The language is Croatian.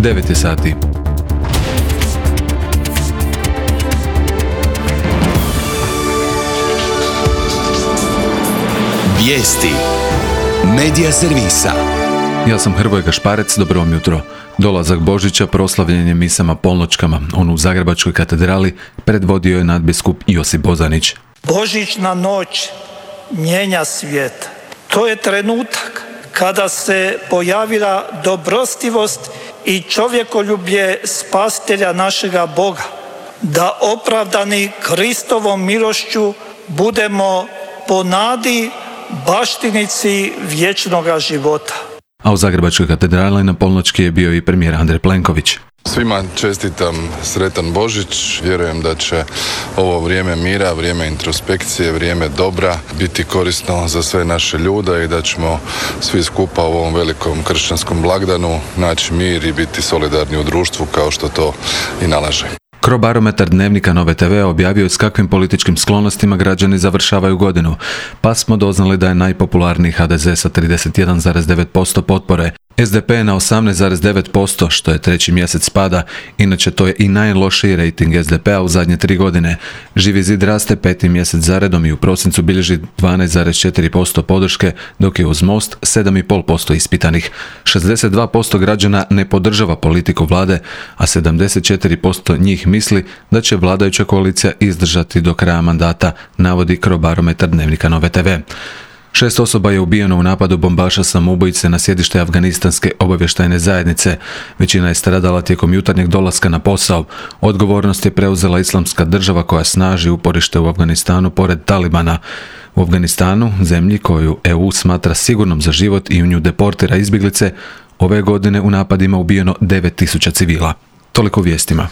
9 je sati. Vijesti Medija servisa. Ja sam Hrvoje Gašparec, dobro vam jutro. Dolazak Božića proslavljen je misama polnoćkama. On u Zagrebačkoj katedrali predvodio je nadbiskup Josip Bozanić. Božićna noć mijenja svijet. To je trenutak kada se pojavila dobrostivost i čovjekoljublje spasitelja našega Boga, da opravdani Kristovom milošću budemo po nadi baštinici vječnoga života. A u Zagrebačkoj katedrali na polnoćki je bio i premijer Andrej Plenković. Svima čestitam sretan Božić, vjerujem da će ovo vrijeme mira, vrijeme introspekcije, vrijeme dobra biti korisno za sve naše ljude i da ćemo svi skupa u ovom velikom kršćanskom blagdanu naći mir i biti solidarni u društvu kao što to i nalaže. Crobarometar Dnevnika Nove TV objavio je s kakvim političkim sklonostima građani završavaju godinu, pa smo doznali da je najpopularniji HDZ sa 31,9% potpore, SDP na 18,9%, što je treći mjesec pada, inače to je i najlošiji rejting SDP-a u zadnje 3 godine. Živi zid raste 5. mjesec zaredom i u prosincu bilježi 12,4% podrške, dok je uz Most 7,5% ispitanih. 62% građana ne podržava politiku vlade, a 74% njih misli da će vladajuća koalicija izdržati do kraja mandata, navodi Crobarometar Dnevnika Nove TV. 6 osoba je ubijeno u napadu bombaša samoubojice na sjedište Afganistanske obavještajne zajednice. Većina je stradala tijekom jutarnjeg dolaska na posao. Odgovornost je preuzela Islamska država koja snaži uporište u Afganistanu pored Talibana. U Afganistanu, zemlji koju EU smatra sigurnom za život i u nju deportira izbjeglice, ove godine u napadima ubijeno 9.000 civila. Toliko vijestima.